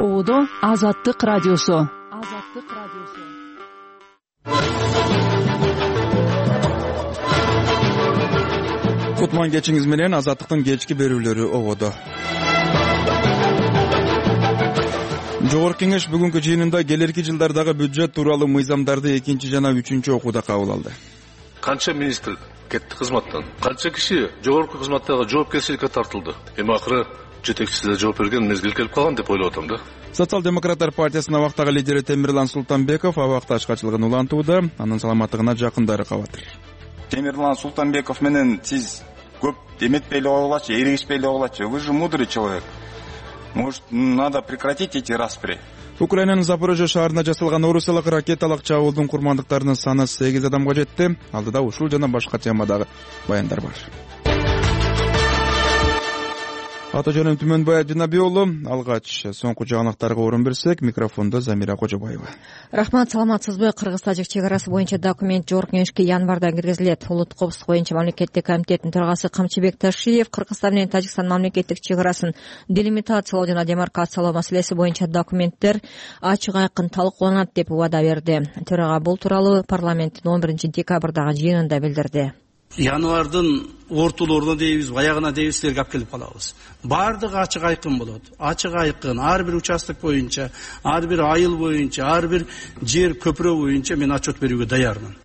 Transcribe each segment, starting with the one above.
Оодо Азаттык радиосу. Кутман кечиңиз менен Азаттыктын кечки берүүлөрү ободо. Жогорку Кеңеш бүгүнкү жыйынында келерки жылдардагы бюджет тууралуу мыйзамдарды 2 жана 3 окууда кабыл алды. Канча министр кетти кызматтан, канча киши жогорку кызматтагы жоопкерчиликке тартылды. Эми акыры жетекчиси да жооп берген мезгил келип калган деп ойлоп атам да. Социал-демократтар партиясынын абактагы лидери Темирлан Султанбеков абакта ачкачылыгын улантууда, анын саламаттыгына жакындары кабатыр. Темирлан Султанбеков менен сиз көп эметпей эле койгулачы, эригишпей эле койгулачы. Вы же мудрый человек. Может, надо прекратить эти распри. Украинанын Запорожье шаарына жасалган орусиялык ракеталык чабуулдун курмандыктарынын саны 8 адамга жетти. Алдыда ушул жана башка темадагы баяндар бар. Ата жөнүм Түмөнбай Ажынабек уулу, алгач соңку жаңылыктарга орун берсек, микрофондо Замира Кожобаева. Рахмат, саламатсызбы? Кыргыз-тажик чек арасы боюнча документ Жогорку Кеңешке январда киргизилет. Улуттук коопсуздук боюнча мамлекеттик комитеттин төрагасы Камчыбек Ташиев Кыргызстан менен Тажикстан мамлекеттик чек арасын делимитациялоо жана демаркациялоо маселеси боюнча документтер ачык айкын талкууланат деп убада берди. Төрага бул тууралуу парламенттин 11-декабрдагы жыйынында билдирди. Январдын ортолоруна дейбиз, аягына дейбиз, силерге алып келип калабыз. Бардыгы ачык айкын болот. Ачык айкын ар бир участок боюнча, ар бир айыл боюнча, ар бир жер көпүрө боюнча мен отчет берүүгө даярмын.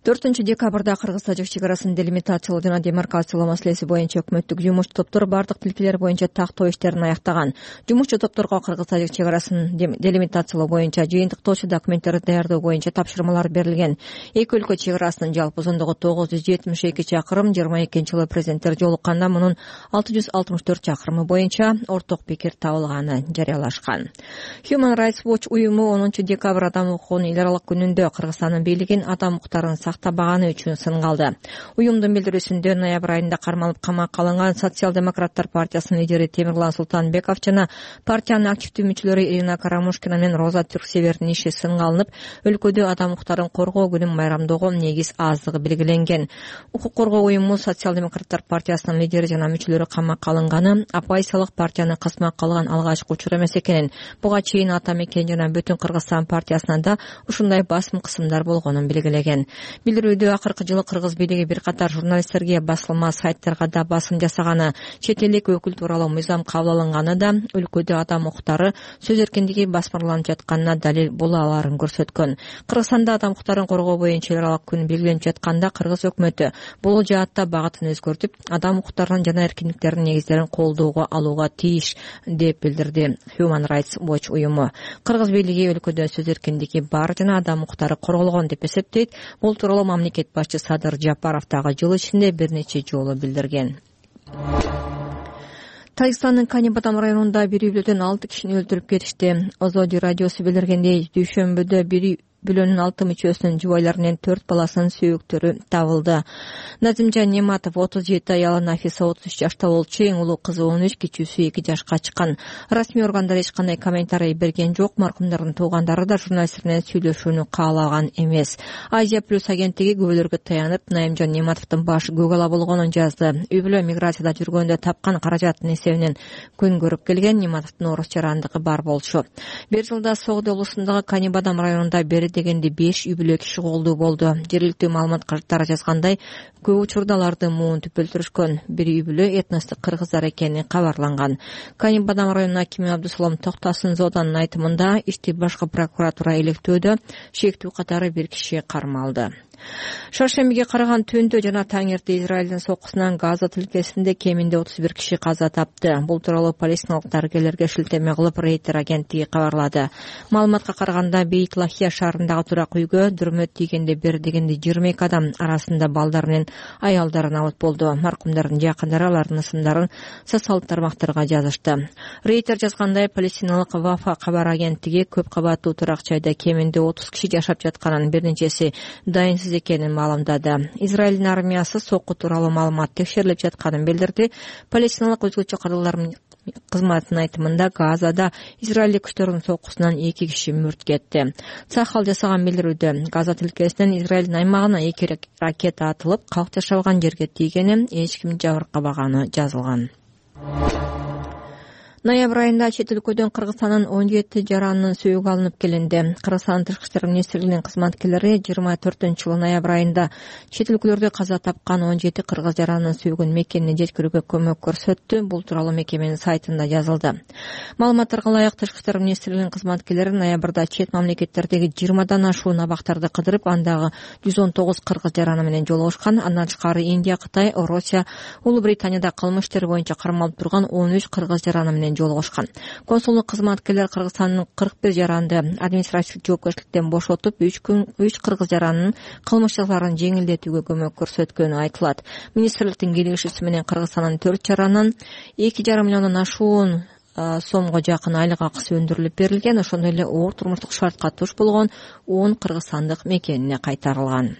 4-декабрда Кыргыз-тажик чек арасын делимитациялоо жана демаркациялоо маселеси боюнча өкмөттүк жумушчу топтор бардык тилкелер боюнча тактоо иштерин аяктаган. Жумушчу топторго Кыргыз-тажик чек арасын делимитациялоо боюнча жыйынтыктоочу документтерди даярдоо боюнча тапшырмалар берилген. Эки өлкө чек арасынын жалпы узундугу 972 чакырым, 22-жылы президенттер жолукканда мунун 664 чакырымы боюнча орток пикир табылганы жарыялашкан. Human Rights Watch уюму 10-декабрь адам укугунун эл аралык күнүндө Кыргызстандын бийлигин адам укуктарын сактабаганы үчүн сынга алды. Уюмдун билдирүүсүндө ноябрь айында кармалып камакка алынган Социал-демократтар партиясынын лидери Темирлан Султанбеков жана партиянын активдүү мүчөлөрү Ирина Карамушкина менен Роза Түрксевердин иши сынга алынып, өлкөдө адам укуктарын коргоо күнүн майрамдоого негиз аздыгы белгиленген. Укук коргоо уюму Социал-демократтар партиясынын лидери жана мүчөлөрү камакка алынганы оппозициялык партияны кызмакка алган алгачкы учур эмес экенин, буга чейин Ата Мекен жана Бүтүн Кыргызстан партиясынан да ушундай басым кысымдар болгонун белгилеген. Билдирүүдө акыркы жылы кыргыз бийлиги бир катар журналисттерге, басылма сайттарга да басым жасаганы, чет элдик өкүл тууралуу мыйзам кабыл алынганы да өлкөдө адам укуктары, сөз эркиндиги басмырланып жатканына далил боло аларын көрсөткөн. Кыргызстанда адам укуктарын коргоо боюнча эл аралык күн белгиленип жатканда кыргыз өкмөтү бул жаатта багытын өзгөртүп, адам укуктарынын жана эркиндиктеринин негиздерин колдоого алууга тийиш деп билдирди Human Rights Watch уюму. Кыргыз бийлиги өлкөдө сөз эркиндиги бар жана адам укуктары корголгон деп эсептейт. Бул тууралуу мамлекет башчы Садыр Жапаров дагы жыл ичинде бир нече жолу билдирген. Тажикстандын Кани-Батам районунда бир үй бүлөдөн 6 кишини өлтүрүп кетишти. Озоди радиосу билдиргендей, дүйшөмбүдө бир бүлөнүн 6 мүчөсүнүн жубайлары менен 4 баласынын сүйөктөрү табылды. Назимжан Нематов 37, аялы Нафиса 33 жашта болчу, эң улуу кызы 13, кичүүсү 2 жашка чыккан. Расмий органдар эч кандай комментарий берген жок. Маркумдардын туугандары да журналисттер менен сүйлөшүүнү каалаган эмес. Азия плюс агенттиги күбөлөргө таянып, Наимжан Нематовдун башы көк ала болгонун жазды. Үй бүлө миграцияда жүргөндө тапкан каражаттын эсебинен күн көрүп келген. Нематовдун орус жарандыгы бар болчу. Бир жылда Согды облусундагы Кани-Батам районунда дегенде 5 үй бүлө киши колдуу болду. Жергиликтүү маалымат карттары жазгандай, көп учурда аларды муун түп өлтүрүшкөн. Бир үй бүлө этностук кыргыздар экени кабарланган. Кани-Батам районунун акими Абдусалам Токтасын Зоданын айтымында, ишти башкы прокуратура илектөөдө, шектүү катары бир киши кармалды. Шаршембиге караган түндө жана таңерте Израилдин соккусунан Газа тилкесинде кеминде 31 киши каза тапты. Бул тууралуу палестиналык дарыгерлерге шилтеме кылып Рейтер агенттиги кабарлады. Маалыматка караганда Бейт Лахия шаарындагы турак үйгө дүрмөт тийгенде бир дегенде 22 адам арасында балдар менен аялдар набыт болду. Маркумдардын жакындары алардын ысымдарын социалдык тармактарга жазышты. Рейтер жазгандай, палестиналык Вафа кабар агенттиги көп кабаттуу турак жайда кеминде 30 киши жашап жатканын, бир нечеси дайынсыз экенин маалымдады. Израилдин армиясы сокку тууралуу маалымат текшерилип жатканын билдирди. Палестиналык өзгөчө кыргыздар кызматынын айтымында Газада Израилдик күчтөрдүн соккусунан 2 киши мүрт кетти. Сахал жасаган билдирүүдө Газа тилкесинен Израилдин аймагына 2 ракета атылып, калк жашабаган жерге тийгени, эч ким жабыркабаганы жазылган. Ноябрь айында чет өлкөдөн Кыргызстандын 17 жаранынын сөөгү алынып келинди. Кыргызстан Тышкы иштер министрлигинин кызматкерлери 24-жылы ноябрь айында чет өлкөлөрдө каза тапкан 17 кыргыз жаранынын сөөгүн мекенине жеткирүүгө көмөк көрсөттү. Бул тууралуу мекеменин сайтында жазылды. Маалыматтарга ылайык, Тышкы иштер министрлигинин кызматкерлери ноябрда чет мамлекеттердеги 20дан ашуун абактарды кыдырып, андагы 119 кыргыз жараны менен жолугушкан. Андан тышкары Индия, Кытай, Россия, Улуу Британияда кылмыш иштери боюнча кармалып турган 13 кыргыз жараны менен жолугушкан. Консулдук кызматкерлер Кыргызстандын 41 жаранды административдик жоопкерчиликтен бошотуп, 3 кыргыз жаранынын кылмыш жазаларын жеңилдетүүгө көмөк көрсөткөнү айтылат. Министрликтин кийлигишүүсү менен Кыргызстандын 4 жаранын 2,5 миллиондон ашуун сомго жакын айлык акысы өндүрүлүп берилген. Ошондой эле оор турмуштук шартка туш болгон 10 кыргызстандык мекенине кайтарылган.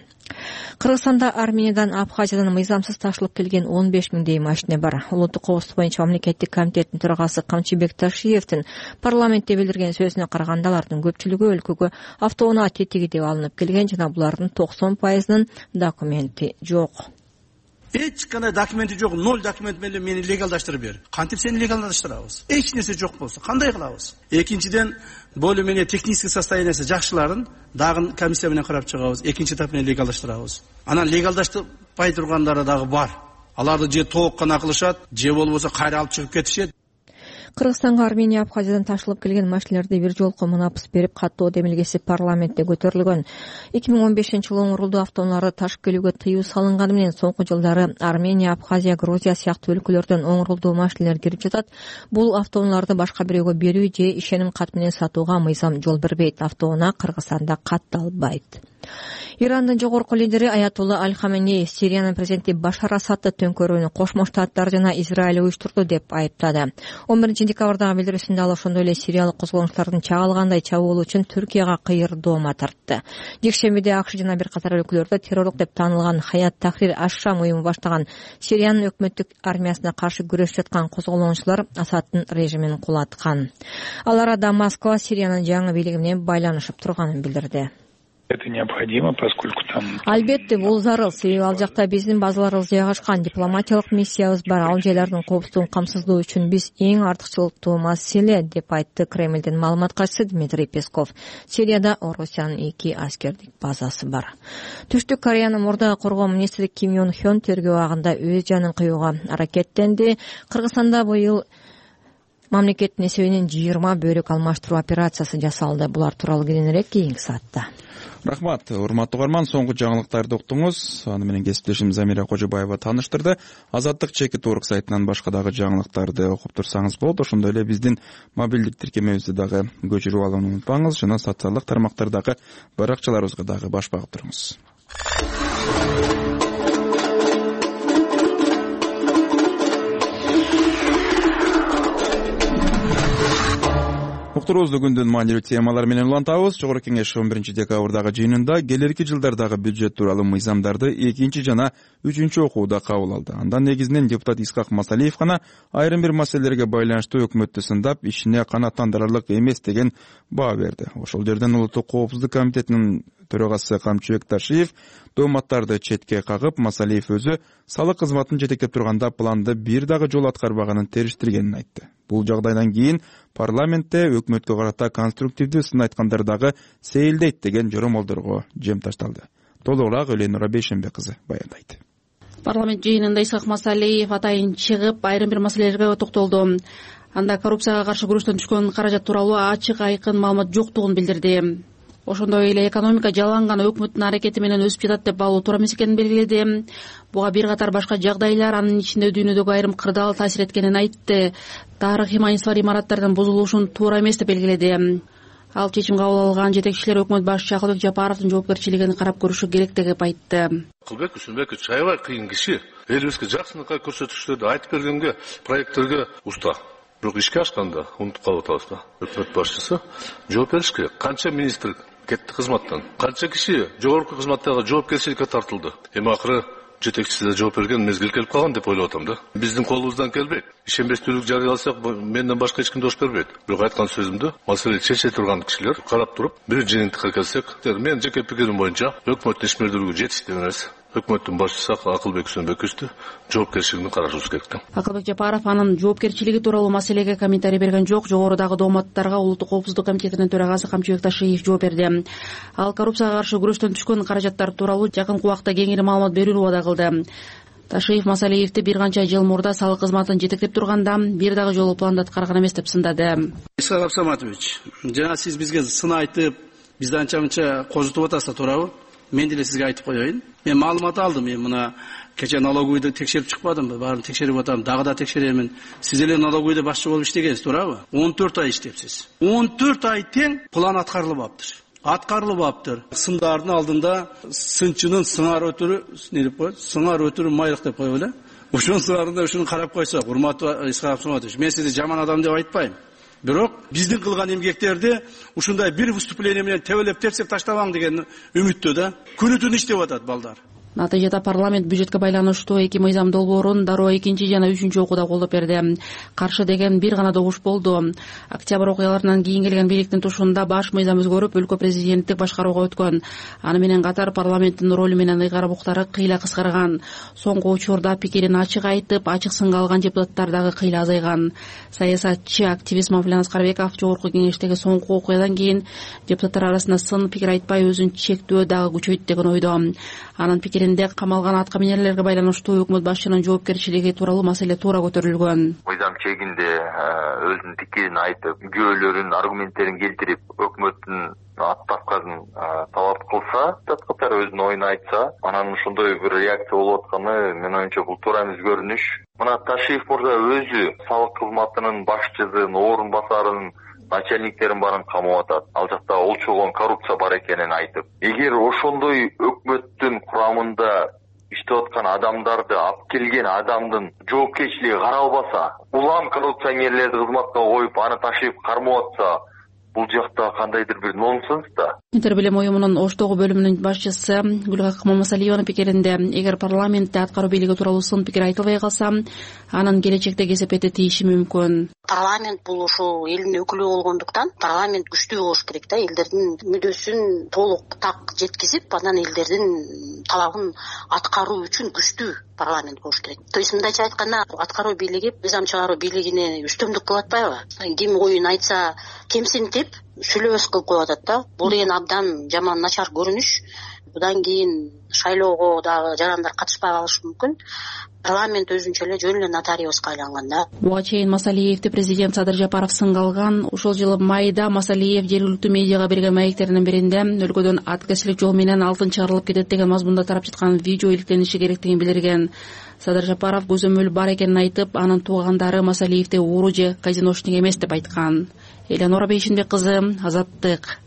Кыргызстанда Армениядан, Абхазиядан мыйзамсыз ташылып келген 15 миңдей машина бар. Улуттук коопсуздук боюнча мамлекеттик комитеттин төрагасы Камчыбек Ташиевдин парламентте билдирген сөзүнө караганда, алардын көпчүлүгү өлкөгө автоунаа тетиги деп алынып келген жана булардын 90%нын документи жок. Эч кандай документи жок, 0 документ менен мени легалдаштырып бер. Кантип сени легалдаштырабыз? Эч нерсе жок болсо кандай кылабыз? Экинчиден, более менее технический состояниясы жакшыларын дагы комиссия менен карап чыгабыз. Экинчи этап менен легалдаштырабыз. Анан легалдаштырбай тургандары дагы бар. Аларды же тоок гана кылышат, же болбосо кайра алып чыгып кетишет. Кыргызстанга Армения, Абхазиядан ташылып келген машиналерди бир жолку мунапыс берип, каттоо демилгеси парламентте көтөрүлгөн. 2015-жылы оңурулду автоунааларды ташып келүүгө тыюу салынганы менен соңку жылдары Армения, Абхазия, Грузия сыяктуу өлкөлөрдөн оңурулду машиналер кирип жатат. Бул автоунааларды башка бирөөгө берүү же ишеним кат менен сатууга мыйзам жол бербейт. Автоунаа Кыргызстанда катталбайт. Ирандын жогорку лидери Аятулла Аль-Хаменей Сириянын президенти Башар Асадты төңкөрүүнү Кошмо Штаттар жана Израиль уюштурду деп айыптады. 11-декабрдагы билдирүүсүндө ал ошондой эле сириялык козголоңчулардын чагылгандай чабуул үчүн Түркияга кыйырдоома тартты. Жекшембиде АКШ жана бир катар өлкөлөрдө террорлук деп таанылган Хаят Тахрир аш-Шам уюму баштаган Сириянын өкмөттүк армиясына каршы күрөшүп жаткан козголоңчулар Асадтын режимин кулаткан. Алар Москва Сириянын жаңы бийлиги менен байланышып турганын билдирди. Это необходимо, поскольку там... Албетте, бул зарыл. Себеби ал жакта биздин базаларыбыз жайгашкан, дипломатиялык миссиябыз бар. Ал жайлардын коопсуздугун камсыздоо үчүн биз эң артыкчылыктуу маселе, деп айтты Кремлдин маалымат катчысы Дмитрий Песков. Сирияда Орусиянын 2 аскердик базасы бар. Түштүк Кореянын мурдагы коргоо министри Ким Ён Хён тергөө абагында өз жанын кыюуга аракеттенди. Кыргызстанда быйыл мамлекеттин эсебинен 20 бөлүк алмаштыруу операциясы жасалды. Булар тууралуу кененирээк кийинки саатта. Рахмат, урматтуу угарман, соңку жаңылыктарды уктуңуз. Аны менен кесиптешим Замира Кожобаева тааныштырды. Азаттык чекит орг сайтынан башка дагы жаңылыктарды окуп турсаңыз болот. Ошондой эле биздин мобилдик тиркемебизди дагы көчүрүп алууну унутпаңыз жана социалдык тармактардагы баракчаларыбызга дагы баш багып туруңуз. Уктуруубузду күндүн маанилүү темалары менен улантабыз. Жогорку кеңеш 11-декабрдагы жыйынында келерки жылдардагы бюджет тууралуу мыйзамдарды 2 жана 3 окууда кабыл алды. Андан негизинен депутат Исхак Масалиев гана айрым бир маселелерге байланыштуу өкмөттү сындап, ишине канааттандырарлык эмес деген баа берди. Ошол жерден Улуттук коопсуздук комитетинин төрагасы Камчыбек Ташиев дооматтарды четке кагып, Масалиев өзү салык кызматын жетектеп турганда планды бир дагы жолу аткарбаганын териштиргенин айтты. Бул жагдайдан кийин парламентте өкмөткө карата конструктивдүү сын айткандар дагы сейилдейт деген жоромолдорго жем ташталды. Толугураак Эленура Бейшембек кызы баяндайт. Парламент жыйынында Исхак Масалиев атайын чыгып, айрым бир маселелерге токтолду. Анда коррупцияга каршы күрөштөн түшкөн каражат тууралуу ачык айкын маалымат жоктугун билдирди. Ошондой эле экономика жаланган өкмөттүн аракети менен өсүп жатат деп алуу туура эмес экенин белгиледи. Буга бир катар башка жагдайлар, анын ичинде дүйнөдөгү айрым кырдаал таасир эткенин айтты. Тарыхый маанисиз имараттардын бузулушун туура эмес деп белгиледи. Ал чечим кабыл алган жетекчилер өкмөт башчысы Акылбек Жапаровдун жоопкерчилигин карап көрүшү керек деп айтты. Акылбек Үсүнбекович аябай кыйын киши. Элибизге жакшынакай көрсөтүштөрдү айтып бергенге, проекттерге уста. Бирок ишке ашканда унутуп калып атабыз да. Өкмөт башчысы жооп бериш керек. Канча министр кетти кызматтан, канча киши жогорку кызматтагы жоопкерчиликке тартылды. Эми акыры жетекчиси да жооп берген мезгил келип калган деп ойлоп атам да. Биздин колубуздан келбейт. Ишенбестүүлүк жарыяласак, менден башка эч ким дош бербейт. Бирок айткан сөзүмдү маселе чече турган кишилер карап туруп, бир жыйынтыкка келсек, менин жеке пикирим боюнча өкмөттүн ишмердүүлүгү жетиштүү эмес. өкмөттүн башчысы Акылбек Сөнбековичти жоопкерчилигин карашыбыз керек да. Акылбек Жапаров анын жоопкерчилиги тууралуу маселеге комментарий берген жок. Жогорудагы дооматтарга Улуттук коопсуздук комитетинин төрагасы Камчыбек Ташиев жооп берди. Ал коррупцияга каршы күрөштөн түшкөн каражаттар тууралуу жакынкы убакта кеңири маалымат берүүнү убада кылды. Ташиев Масалиевди бир канча жыл мурда салык кызматын жетектеп турганда бир дагы жолу планды аткарган эмес деп сындады. Исхак Абсаматович, жана сиз бизге сын айтып, бизди анча мынча козутуп атасыз, туурабы? Мен деле сизге айтып коеюн. Мен маалымат алдым. Мен мына кече налоговыйды текшерип чыкпадымбы? Баарын текшерип атам, дагы да текшеремин. Сиз эле налоговыйда башчы болуп иштегенсиз, туурабы? 14 ай иштепсиз. 14 ай тең план аткарылбаптыр. Сындардын алдында сынчынын сыңар өтүрү, не деп коет? Сыңар өтүрү майрак деп коебу эле. Ошонун сыңарында ушуну карап койсок, урматтуу Исхак Абсаматович, мен сизди жаман адам деп айтпайм. Бирок биздин кылган эмгектерди ушундай бир выступление менен тебелеп тепсек таштабаң деген үмүттө да күнү түн иштеп атат балдар. Натыйжада парламент бюджетке байланыштуу эки мыйзам долбоорун дароо 2 жана 3 окууда колдоп берди. Каршы деген бир гана добуш болду. Октябрь окуяларынан кийин келген бийликтин тушунда баш мыйзам өзгөрүп, өлкө президенттик башкарууга өткөн. Аны менен катар парламенттин ролу менен ыйгарым укуктары кыйла кыскарган. Соңку учурда пикирин ачык айтып, ачык сынга алган депутаттар дагы кыйла азайган. Саясатчы активист Мавлен Аскарбеков жогорку кеңештеги соңку окуядан кийин депутаттар арасында сын пикир айтпай өзүн чектөө дагы күчөйт деген ойдо. Анын пикиринде камалган атка минерлерге байланыштуу өкмөт башчынын жоопкерчилиги тууралуу маселе туура көтөрүлгөн. Мыйзам чегинде өзүнүн пикирин айтып, күбөлөрүн, аргументтерин келтирип, өкмөттүн аттапканын талап кылса, депутаттар өзүнүн оюн айтса, анан ошондой бир реакция болуп атканы менин оюмча бул туура эмес көрүнүш. Мына Ташиев мырза өзү салык кызматынын башчысын, орун басарын, начальниктерин баарын камап атат. Ал жакта олчогон коррупция бар экенин айтып. Эгер ошондой өкмөттүн курамында иштеп аткан адамдарды алып келген адамдын жоопкерчилиги каралбаса, улам коррупционерлерди кызматка коюп, аны Ташиев кармап атса, бул жакта кандайдыр бир нонсенс да. Интер билим уюмунун Оштогу бөлүмүнүн башчысы Гүлгакы Мамасалиеванын пикиринде, эгер парламентте аткаруу бийлиги тууралуу сын пикир айтылбай калса, анын келечекте кесепети тийиши мүмкүн. Парламент бул ушул элдин өкүлү болгондуктан парламент күчтүү болуш керек да, элдердин мүддөсүн толук так жеткизип, анан элдердин талабын аткаруу үчүн күчтүү парламент болуш керек. То есть мындайча айтканда, аткаруу бийлиги мыйзам чыгаруу бийлигине үстөмдүк кылып атпайбы? Ким оюн айтса кемсинтип сүйлөбөс кылып коюп атат да. Бул деген абдан жаман начар көрүнүш. Будан кийин шайлоого дагы жарандар катышпай калышы мүмкүн. Парламент өзүнчө эле жөн эле нотариуска айланган да. Буга чейин Масалиевди президент Садыр Жапаров сынга алган. Ошол жылы майда Масалиев жергиликтүү медиага берген маектеринин биринде өлкөдөн аткерчилик жол менен алтын чыгарылып кетет деген мазмунда тарап жаткан видео иликтениши керектигин билдирген. Садыр Жапаров көзөмөл бар экенин айтып, анын туугандары Масалиевди ууру же казиношник эмес деп айткан. Элеонора Бейшинбек кызы, Азаттык.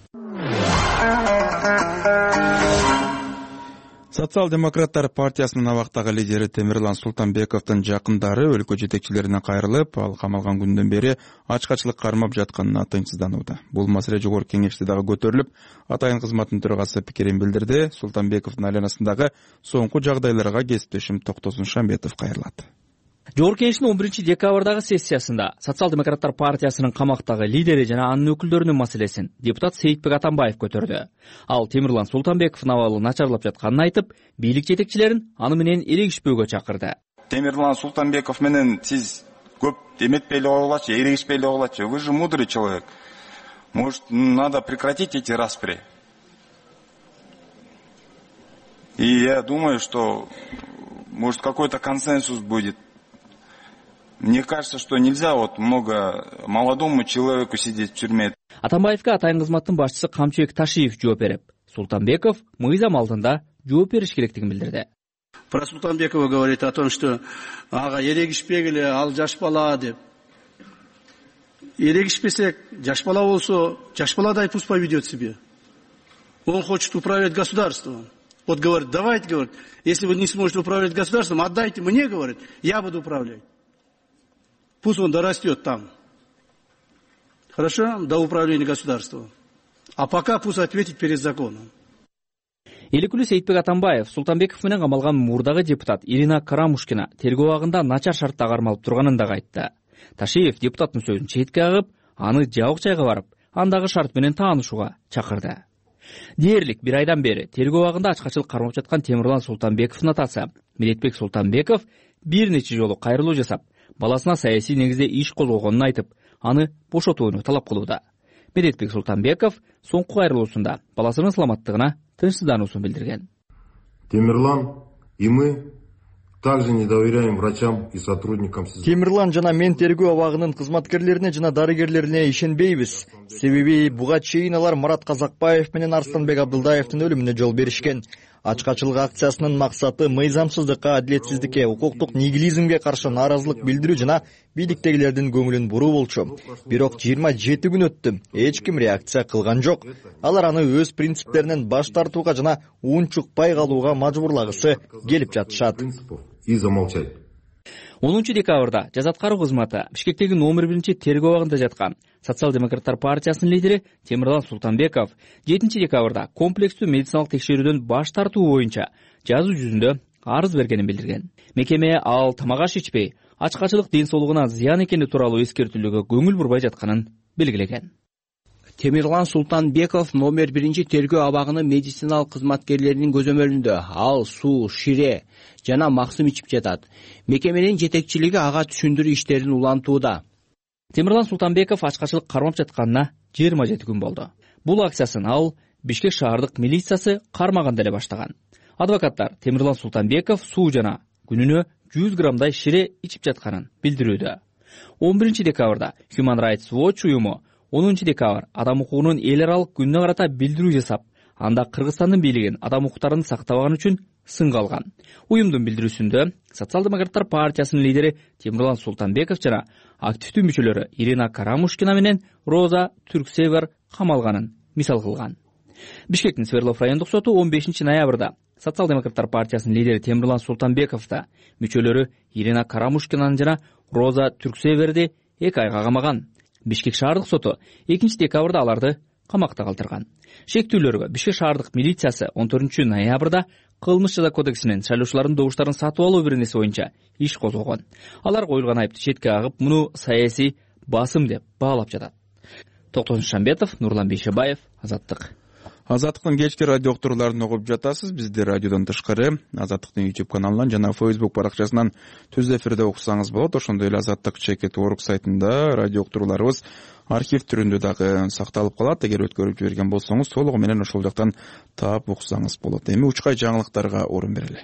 Социал-демократтар партиясынын абактагы лидери Темирлан Султанбековдун жакындары өлкө жетекчилерине кайрылып, ал камалган күндөн бери ачкачылык кармап жатканына тынчсызданууда. Бул маселе жогорку кеңеште дагы көтөрүлүп, атайын кызматтын төрагасы пикирин билдирди. Султанбековдун айланасындагы соңку жагдайларга кесиптешим Токтосун Шамбетов кайрылат. Жогорку кеңештин 11-декабрдагы сессиясында Социал-демократтар партиясынын камактагы лидери жана анын өкүлдөрүнүн маселесин депутат Сейитбек Атамбаев көтөрдү. Ал Темирлан Султанбековдун абалы начарлап жатканын айтып, бийлик жетекчилерин аны менен эрегишпөөгө чакырды. Темирлан Султанбеков менен сиз көп эметпей эле койгулачы, эрегишпей эле койгулачы. Вы же мудрый человек. Может, надо прекратить эти распри. И я думаю, что может какой-то консенсус будет. Мне кажется, что нельзя много молодому человеку сидеть в тюрьме. Атамбаевге атайын кызматтын башчысы Камчыбек Ташиев жооп берип, Султанбеков мыйзам алдында жооп бериш керектигин билдирди. Про Султанбекова говорит о том, что ага эрегишпегиле, ал жаш бала деп. Эрегишпесек, жаш бала болсо, жаш баладай пусть поведет себя. Он хочет управлять государством. Вот говорит, давайте, говорит, если вы не сможете управлять государством, отдайте мне, говорит, я буду управлять. Пусть он дорастет там. Хорошо? До управления государством. А пока пусть ответит перед законом. Эликүлү Сейитбек Атамбаев Султанбеков менен камалган мурдагы депутат Ирина Карамушкина тергөө абагында начар шартта кармалып турганын дагы айтты. Ташиев депутаттын сөзүн четке агып, аны жабык жайга барып, андагы шарт менен таанышууга чакырды. Дээрлик бир айдан бери тергөө абагында ачкачылык кармап жаткан Темирлан Султанбековдун атасы Медетбек Султанбеков бир нече жолу кайрылуу жасап, баласына саясий негизде иш козгогонун айтып, аны бошотууну талап кылууда. Медетбек Султанбеков соңку кайрылуусунда баласынын саламаттыгына тынчсыздануусун билдирген. Темирлан и мы также не доверяем врачам и сотрудникам. Темирлан жана мен тергөө абагынын кызматкерлерине жана дарыгерлерине ишенбейбиз. Себеби буга чейин алар Марат Казакбаев менен Арсланбек Абдылдаевдин өлүмүнө жол беришкен. Ачкачылык акциясынын максаты мыйзамсыздыкка, адилетсиздикке, укуктук нигилизмге каршы нааразылык билдирүү жана бийликтегилердин көңүлүн буруу болчу. Бирок 27 күн өттү, эч ким реакция кылган жок. Алар аны өз принциптеринен баш тартууга жана унчукпай калууга мажбурлагысы келип жатышат. И замолчать. 10 декабрда жаза аткаруу кызматы Бишкектеги номер 1 тергөө абагында жаткан Социал-демократтар партиясынын лидери Темирлан Султанбеков 7 декабрда комплекстүү медициналык текшерүүдөн баш тартуу боюнча жазуу жүзүндө арыз бергенин билдирген. Мекеме ал тамак аш ичпей, ачкачылык ден соолугуна зыян экени тууралуу эскертүүлөргө көңүл бурбай жатканын белгилеген. Темирлан Султанбеков номер 1 тергөө абагынын медициналык кызматкерлеринин көзөмөлүндө ал суу, шире жана максым ичип жатат. Мекеменин жетекчилиги ага түшүндүрүү иштерин улантууда. Темирлан Султанбеков ачкачылык кармап жатканына 27 күн болду. Бул акциясын ал Бишкек шаардык милициясы кармаганда эле баштаган. Адвокаттар Темирлан Султанбеков суу жана күнүнө 100 граммдай шире ичип жатканын билдирүүдө. 11 декабрда Human Rights Watch уюму 10 декабр адам укугунун эл аралык күнүнө карата билдирүү жасап, анда Кыргызстандын бийлигин адам укуктарын сактабаган үчүн сынга алган. Уюмдун билдирүүсүндө Социал-демократтар партиясынын лидери Темирлан Султанбеков жана активдүү мүчөлөрү Ирина Карамушкина менен Роза Түрксевер камалганын мисал кылган. Бишкектин Свердлов райондук соту 15 ноябрда Социал-демократтар партиясынын лидери Темирлан Султанбековду мүчөлөрү Ирина Карамушкинаны жана Роза Түрксеверди 2 айга камаган. Бишкек шаардык соту 2 декабрда аларды камакта калтырган. Шектүүлөргө Бишкек шаардык милициясы 14 ноябрда кылмыш жаза кодексинин шайлоочулардын добуштарын сатып алуу беренеси боюнча иш козгогон. Алар коюлган айыпты четке кагып, муну саясий басым деп баалап жатат. Токтон Шамбетов, Нурлан Бейшебаев, Азаттык. Азаттыктын кечки радио уктурууларын угуп жатасыз. Бизди радиодон тышкары Азаттыктын YouTube каналынан жана Facebook баракчасынан түз эфирде уксаңыз болот. Ошондой эле Azattik.org сайтында радио уктурууларыбыз архив түрүндө дагы сакталып калат. Эгер өткөрүп жиберген болсоңуз, толугу менен ошол жактан таап уксаңыз болот. Эми учкай жаңылыктарга орун берели.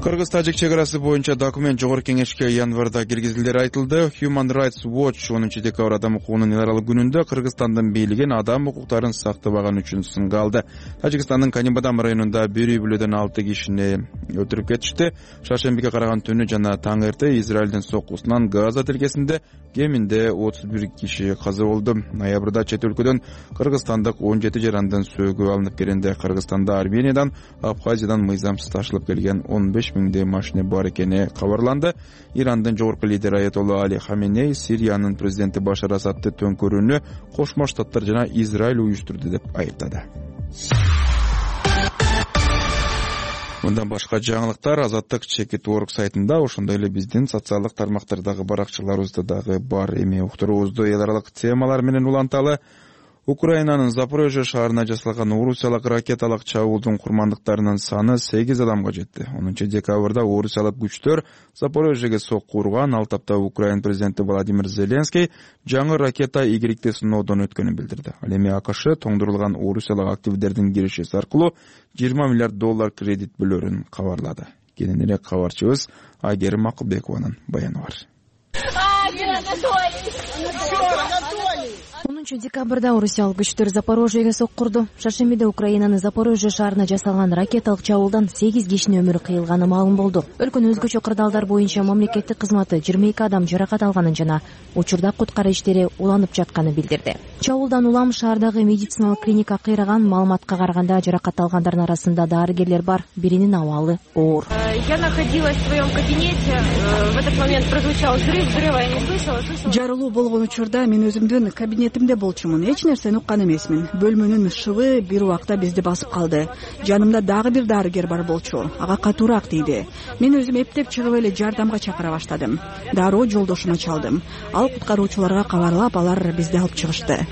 Кыргыз-Тажик чек арасы боюнча документ жогорку кеңешке январда киргизилери айтылды. Human Rights Watch 10 декабр адам укугунун эл аралык күнүндө Кыргызстандын бийлигин адам укуктарын сактабаган үчүн сынга алды. Тажикстандын Канибадам районунда 1,6 кишини өлтүрүп кетишти. Шаршембиге караган түнү жана таң эрте Израилдин соккусунан Газа тилкесинде кеминде 31 киши каза болду. Ноябрда чет өлкөдөн Кыргызстандык 17 жарандын сөөгү алынып келгенде Кыргызстанда Армениядан, Абхазиядан мыйзамсыз ташылып келген 15 миңдей машина бар экени кабарланды. Ирандын жогорку лидери Аятолла Али Хаменей Сириянын президенти Башар Асадты төңкөрүүнү Кошмо Штаттар жана Израиль уюштурду деп айыптады. Мындан башка жаңылыктар Azattik.org сайтында, ошондой эле биздин социалдык тармактардагы баракчаларыбызда дагы бар. Эми уктуруубузду эл аралык темалар менен уланталы. Украинанын Запорожье шаарына жасалган орусиялык ракеталык чабуулдун курмандыктарынын саны 8 адамга жетти. 10 декабрда орусиялык күчтөр Запорожьеге сокку урган. Ал тапта Украин президенти Владимир Зеленский жаңы ракета игиликти сыноодон өткөнүн билдирди. Ал эми АКШ тоңдурулган орусиялык активдердин киришеси аркылуу $20 миллиард кредит бөлөрүн кабарлады. Кененирээк кабарчыбыз Айгерим Акылбекованын баяны бар. 10 декабрда орусиялык күчтөр Запорожьеге сокку урду. Шаршембиде Украинанын Запорожье шаарына жасалган ракеталык чабуулдан 8 кишинин өмүрү кыйылганы маалым болду. Өлкөнүн өзгөчө кырдаалдар боюнча мамлекеттик кызматы 22 адам жаракат алганын жана учурда куткаруу иштери уланып жатканын билдирди. Чабуулдан улам шаардагы медициналык клиника кыйраган. Маалыматка караганда жаракат алгандардын арасында дарыгерлер бар, биринин абалы оор. Я находилась в своем кабинете. В этот момент прозвучал взрыв, взрыва я не слышала. Жарылуу болгон учурда мен өзүмдүн кабинетимде болчумун. Эч нерсени уккан эмесмин. Бөлмөнүн шыбы бир убакта бизди басып калды. Жанымда дагы бир дарыгер бар болчу. Ага катуураак тийди. Мен өзүм эптеп чыгып эле жардамга чакыра баштадым. Дароо жолдошума чалдым. Ал куткаруучуларга кабарлап, алар бизди алып чыгышты.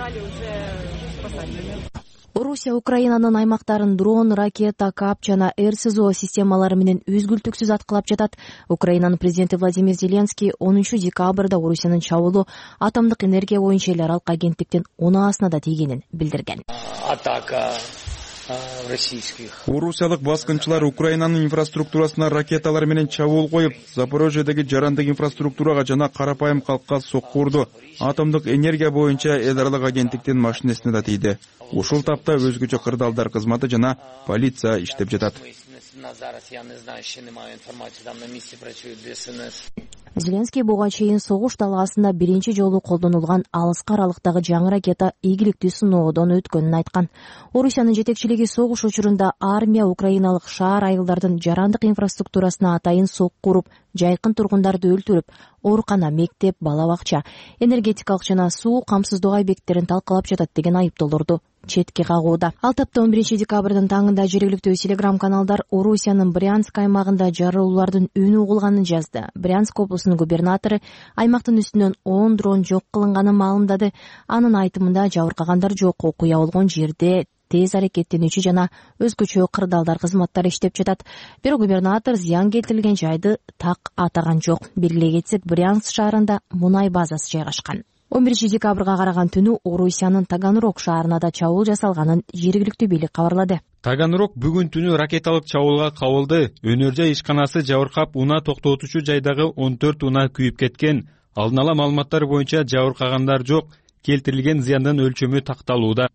Орусия Украинанын аймактарын дрон, ракета, КАП жана РСЗО системалары менен үзгүлтүксүз аткылап жатат. Украинанын президенти Владимир Зеленский 10 декабрда Орусиянын чабуулу атомдук энергия боюнча эл аралык агенттиктин унаасына да тийгенин билдирген. Атака российских. Орусиялык баскынчылар Украинанын инфраструктурасына ракеталар менен чабуул коюп, Запорожьедеги жарандык инфраструктурага жана карапайым калкка сокку урду. Атомдук энергия боюнча эл аралык агенттиктин машинесине да тийди. Ушул тапта өзгөчө кырдаалдар кызматы жана полиция иштеп жатат. Зеленский буга чейин согуш талаасында биринчи жолу колдонулган алыскы аралыктагы жаңы ракета ийгиликтүү сыноодон өткөнүн айткан. Орусиянын жетекчилиги согуш учурунда армия украиналык шаар айылдардын жарандык инфраструктурасына атайын сокку уруп, жайкын тургундарды өлтүрүп, оорукана, мектеп, бала бакча, энергетикалык жана суу камсыздоо объекттерин талкалап жатат деген айыптоолорду четке кагууда. Ал тапта 11 декабрдын таңында жергиликтүү телеграм-каналдар Орусиянын Брянск аймагында жарылуулардын үнү угулганын жазды. Брянск облусунун губернатору аймактын үстүнөн 10 дрон жок кылынганын маалымдады. Анын айтымында жабыркагандар жок, окуя болгон жерде тез аракеттенүүчү жана өзгөчө кырдаалдар кызматтары иштеп жатат. Бирок губернатор зыян келтирилген жайды так атаган жок. Белгилей кетсек, Брянск шаарында мунай базасы жайгашкан. 11 декабрга караган түнү Орусиянын Таганрог шаарына да чабуул жасалганын жергиликтүү бийлик кабарлады. Таганрог бүгүн түнү ракеталык чабуулга кабылды. Өнөр-жай ишканасы жабыркап, унаа токтотуучу жайдагы 14 унаа күйүп кеткен. Алдын ала маалыматтар боюнча жабыркагандар жок. Келтирилген зыяндын өлчөмү такталууда,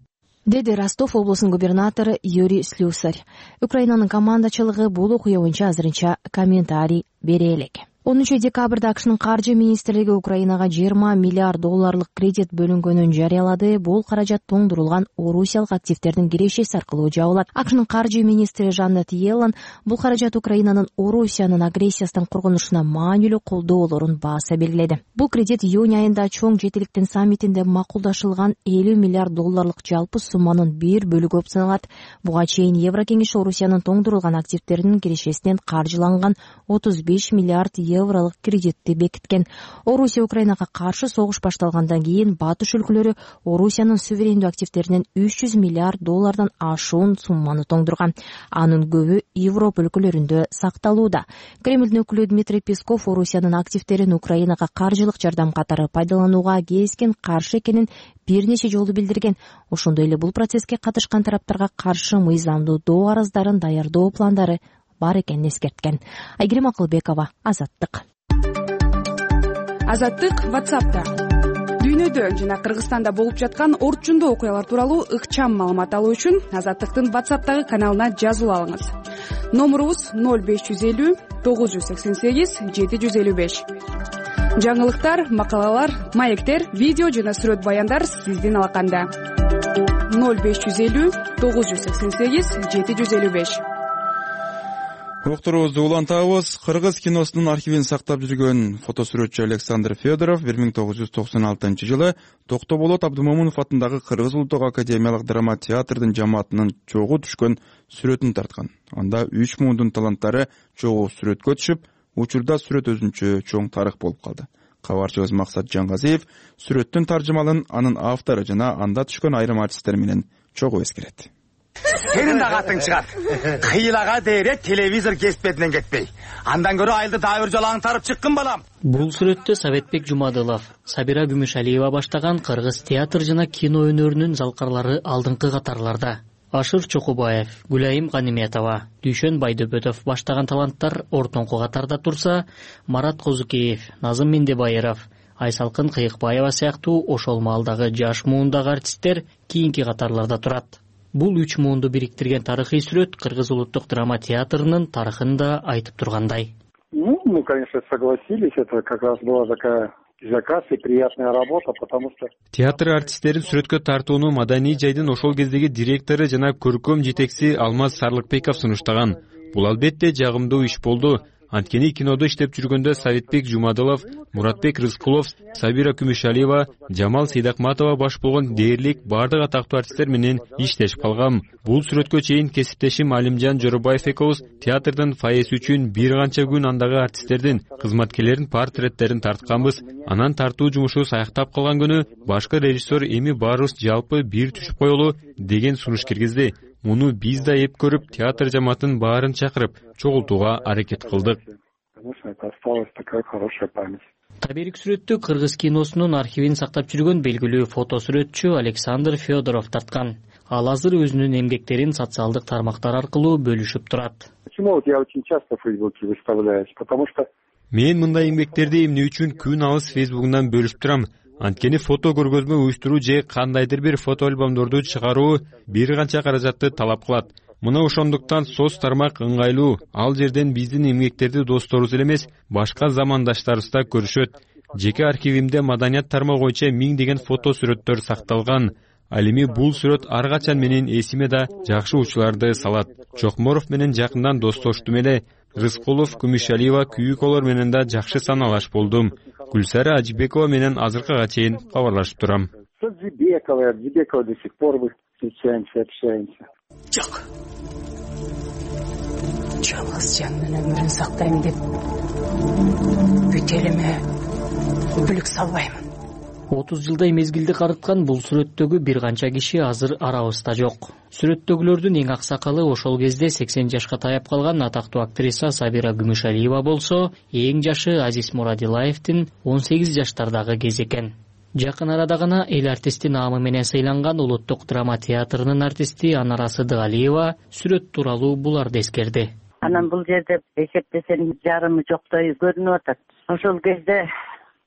деди Ростов облусунун губернатору Юрий Слюсарь. Украинанын командачылыгы бул окуя боюнча азырынча комментарий бере элек. 10 декабрда АКШнын каржы министрлиги Украинага 20 миллиард долларлык кредит бөлүнгөнүн жарыялады. Бул каражат тоңдурулган орусиялык активдердин кирешеси аркылуу жабылат. АКШнын каржы министри Жанет Йеллен бул каражат Украинанын Орусиянын агрессиясынан коргонушуна маанилүү колдоолорун бааса белгиледи. Бул кредит июнь айында чоң жетиликтин саммитинде макулдашылган 50 миллиард долларлык жалпы сумманын бир бөлүгү болуп саналат. Буга чейин Еврокеңеш Орусиянын тоңдурулган активдеринин кирешесинен каржыланган 35 миллиард евролук кредитти бекиткен. Орусия Украинага каршы согуш башталгандан кийин батыш өлкөлөрү Орусиянын суверендүү активдеринен 300 миллиард доллардан ашуун сумманы тоңдурган. Анын көбү Европа өлкөлөрүндө сакталууда. Кремлдин өкүлү Дмитрий Песков Орусиянын активдерин Украинага каржылык жардам катары пайдаланууга кескен каршы экенин бир нече жолу билдирген. Ошондой эле бул процесске катышкан тараптарга каршы мыйзамдуу доо арыздарын даярдоо пландары бар экенин эскерткен. Айгерим Акылбекова, Азаттык. Азаттык WhatsApp'та. Дүйнөдө жана Кыргызстанда болуп жаткан орчундуу окуялар тууралуу ыкчам маалымат алуу үчүн Азаттыктын WhatsApp'тагы каналына жазылып алыңыз. Номурубуз 0550 988 755. Жаңылыктар, макалалар, маектер, видео жана сүрөт баяндар сиздин алаканда. 0550 988 755. Окторубузду улантабыз. Кыргыз киносунун архивин сактап жүргөн фотосүрөтчү Александр Федоров 1996 жылы Токтоболот Абдымомунов атындагы Кыргыз улуттук академиялык драма театрдын жамаатынын чогуу түшкөн сүрөтүн тарткан. Анда 3 мундун таланттары чогуу сүрөткө түшүп, учурда сүрөт өзүнчө чоң тарых болуп калды. Кабарчыбыз Максат Жангазиев сүрөттүн таржымалын анын автору жана анда түшкөн айрым артисттер менен чогуу эскерет. Сенин да катың чыгат. Кыйлага дейре телевизор кеспетинен кетпей. Андан көрө айылды дагы бир жолу аңтарып чыккын балам. Бул сүрөттү Советбек Жумадылов, Сабира Күмүшалиева баштаган Кыргыз театр жана кино өнөрүнүн залкарлары алдыңкы катарларда. Ашыр Чокубаев, Гүлайым Ганиметова, Дүйшөн Байдөбөтов баштаган таланттар ортоңку катарда турса, Марат Козукеев, Назым Мендебайыров, Айсалкын Кыйыкбаева сыяктуу ошол маалдагы жаш муундагы артисттер кийинки катарларда турат. Бул 3 муунду бириктирген тарыхый сүрөт Кыргыз улуттук драма театрынын тарыхын да айтып тургандай. Мы, конечно, согласились. Это как раз была такая заказ и приятная работа, потому что театр артисттерин сүрөткө тартууну маданий жайдын ошол кездеги директору жана көркөм жетекчиси Алмаз Сарлыкбеков сунуштаган. Бул албетте жагымдуу иш болду. Анткени кинодо иштеп жүргөндө Советбек Жумадылов, Муратбек Рыскулов, Сабира Күмүшалиева, Жамал Сейдакматова баш болгон дээрлик бардык атактуу артисттер менен иштешип калгам. Бул сүрөткө чейин кесиптешим Алимжан Жоробаев экөөбүз театрдын фойеси үчүн бир канча күн андагы артисттердин, кызматкерлердин портреттерин тартканбыз. Анан тартуу жумушу саяктап калган күнү башкы режиссер эми баарыбыз жалпы бир түшүп коелу деген сунуш киргизди. Муну биз да эп көрүп, театр жамаатын баарын чакырып, чогултууга аракет кылдык. Таберик сүрөттү кыргыз киносунун архивин сактап жүргөн белгилүү фотосүрөтчү Александр Федоров тарткан. Ал азыр өзүнүн эмгектерин социалдык тармактар аркылуу бөлүшүп турат. Почему я очень часто в Фейсбуке выставляюсь? Потому что мен мындай эмгектерди эмне үчүн күн алыс Фейсбугунан бөлүшүп турам. Анткени фото көргөзмө уюштуруу же кандайдыр бир фото альбомдорду чыгаруу бир канча каражатты талап кылат. Мына ошондуктан соц тармак ыңгайлуу. Ал жерден биздин эмгектерди досторубуз эле эмес, башка замандаштарыбыз да көрүшөт. Жеке архивимде маданият тармагы боюнча 1000 деген фото сүрөттөр сакталган. Ал эми бул сүрөт ар качан менин эсиме да жакшы учурларды салат. Чокморов менен жакындан достоштум эле. Рыскулов, Күмүшалиева, Күйүколор менен да жакшы саналаш болдум. Гүлсара Ажибекова менен азыркыга чейин кабарлашып турам. Ажибекова до сих пор встречаемся, общаемся. Жок. Жалгыз жанын өмүрүн сактайм деп бүт элиме бүлүк салбаймын. 30 жылдай мезгилди карыткан бул сүрөттөгү бир канча киши азыр арабызда жок. Сүрөттөгүлөрдүн эң аксакалы ошол кезде 80 жашка таяп калган атактуу актриса Сабира Күмүшалиева болсо, эң жашы Азиз Мурадилаевдин 18 жаштардагы кез экен. Жакын арада гана эл артисти наамы менен сыйланган Улуттук драма театрынын артисти Анара Сыдыгалиева сүрөт тууралуу буларды эскерди. Анан бул жерде эсептесем жарымы жоктой көрүнүп атат. Ошол кезде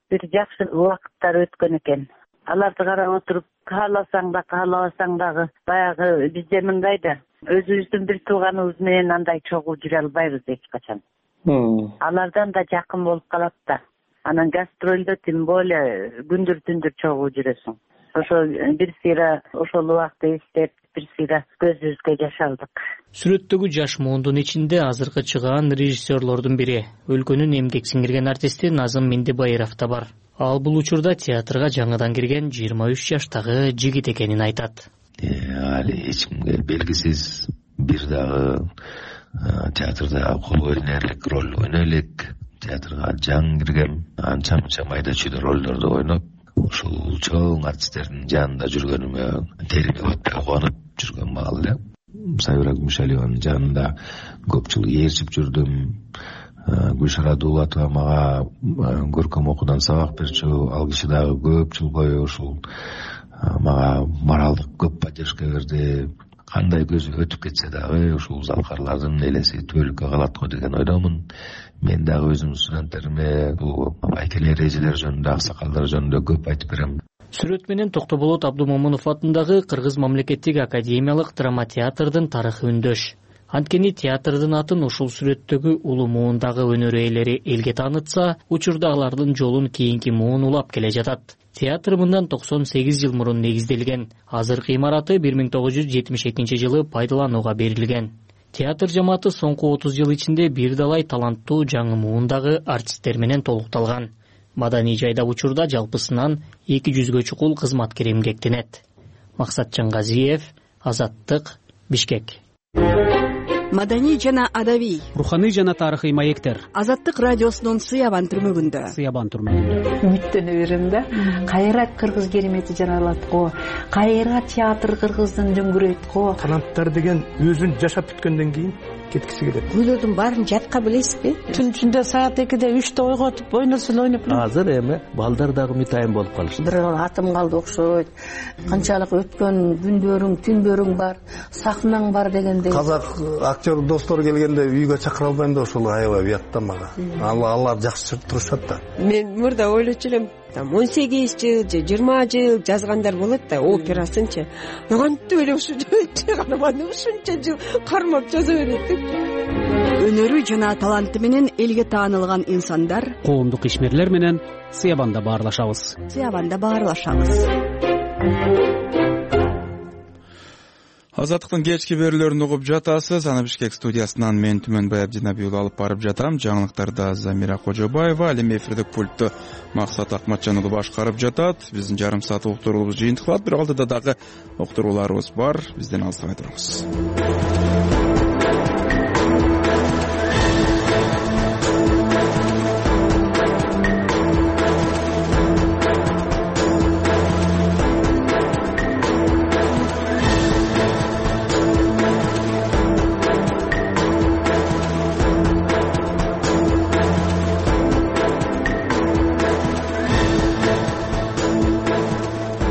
бир жакшы убакыттар өткөн экен. Аларды карап отуруп, кааласаң да, каалабасаң дагы баягы бизде мындай да, өзүбүздүн бир тууганыбыз менен андай чогуу жүрө албайбыз эч качан. Алардан да жакын болуп калат да. Анан гастролдо тем более күндөр түндөр чогуу жүрөсүң. Ошол бир сыйра ошол убакытты эстеп, бир сыйра көзүбүзгө жаш алдык. Сүрөттөгү жаш муундун ичинде азыркы чыгаан режиссерлордун бири, өлкөнүн эмгек сиңирген артисти Назым Мендебайров да бар. Ал бул учурда театрга жаңыдан кирген 23 жаштагы жигит экенин айтат. Али эч кимге белгисиз, бир дагы театрда кол ойнерлик роль ойной элек. Театрга жаңы киргем, анча-мынча майда чүйдө ролдорду ойноп, ушул чоң артисттердин жанында жүргөнүмө терине өтпөй кубанып жүргөн маал эле. Сабира Күмүшалиеванын жанында көп жыл ээрчип жүрдүм. Гүлшара Дулатова мага көркөм окуудан сабак берчү, ал киши дагы көп жыл бою ушул мага моралдык көп поддержка берди. Кандай көзү өтүп кетсе дагы ушул залкарлардын элеси түбөлүккө калат го деген ойдомун. Мен дагы өзүм студенттериме бул айкелер эрежелер жөнүндө, аксакалдар жөнүндө көп айтып берем. Сүрөт менен Токтоболот Абдумомунов атындагы Кыргыз мамлекеттик академиялык драма театрдын тарыхы үндөш. Анткени театрдын атын ушул сүрөттөгү улуу муундагы өнөр ээлери элге таанытса, учурда алардын жолун кийинки муун улап келе жатат. Театр мындан 98 жыл мурун негизделген. Азыркы имараты 1972 жылы пайдаланууга берилген. Театр жамааты соңку 30 жыл ичинде бир далай таланттуу жаңы муундагы артисттер менен толукталган. Маданий жайда учурда жалпысынан 200гө чукул кызматкер эмгектенет. Максат Жаңгазиев, Азаттык, Бишкек. Маданий жана адабий, руханий жана тарыхый маектер. Азаттык радиосунун Сыябан түрмөгүндө. Үмүттөнө берем да. Кайра кыргыз керемети жаралат го. Кайра театр кыргыздын дөңгүрөйт го. Таланттар деген өзүн жашап бүткөндөн кийин кеткиси келет. Күйлөрдүн баарын жатка билесизби? Түн ичинде саат 2-де 3-те ойготуп, ойносо ойноп. Азыр эми балдар дагы мытайын болуп калышты. Бир атым калды окшойт. Канчалык өткөн күндөрүң, түндөрүң бар, сахнаң бар дегендей. Казак актер достор келгенде үйгө чакыра албайм да ошол аябай уятта мага. Алар жакшы турушат да. Мен мурда ойлочу элем, 18 жыл же 20 жыл жазгандар болот да, операсынчы. Кантип эле ушунча карманы ушунча жыл кармап жаза берет деп. Өнөрү жана таланты менен элге таанылган инсандар коомдук ишмерлер менен Сыябанда баарлашабыз. Азаттыктын кечки берүүлөрүн угуп жатасыз. Аны Бишкек студиясынан мен Түмөнбай Абдинабиев алып барып жатам. Жаңылыктарда Замира Кожобаева, ал эми эфирдик пультту Максат Акматжан уулу башкарып жатат. Биздин жарым саат уктуруулубуз жыйынтыкталат. Бирок алдыда дагы уктурууларыбыз бар. Бизден алыстабай туруңуз.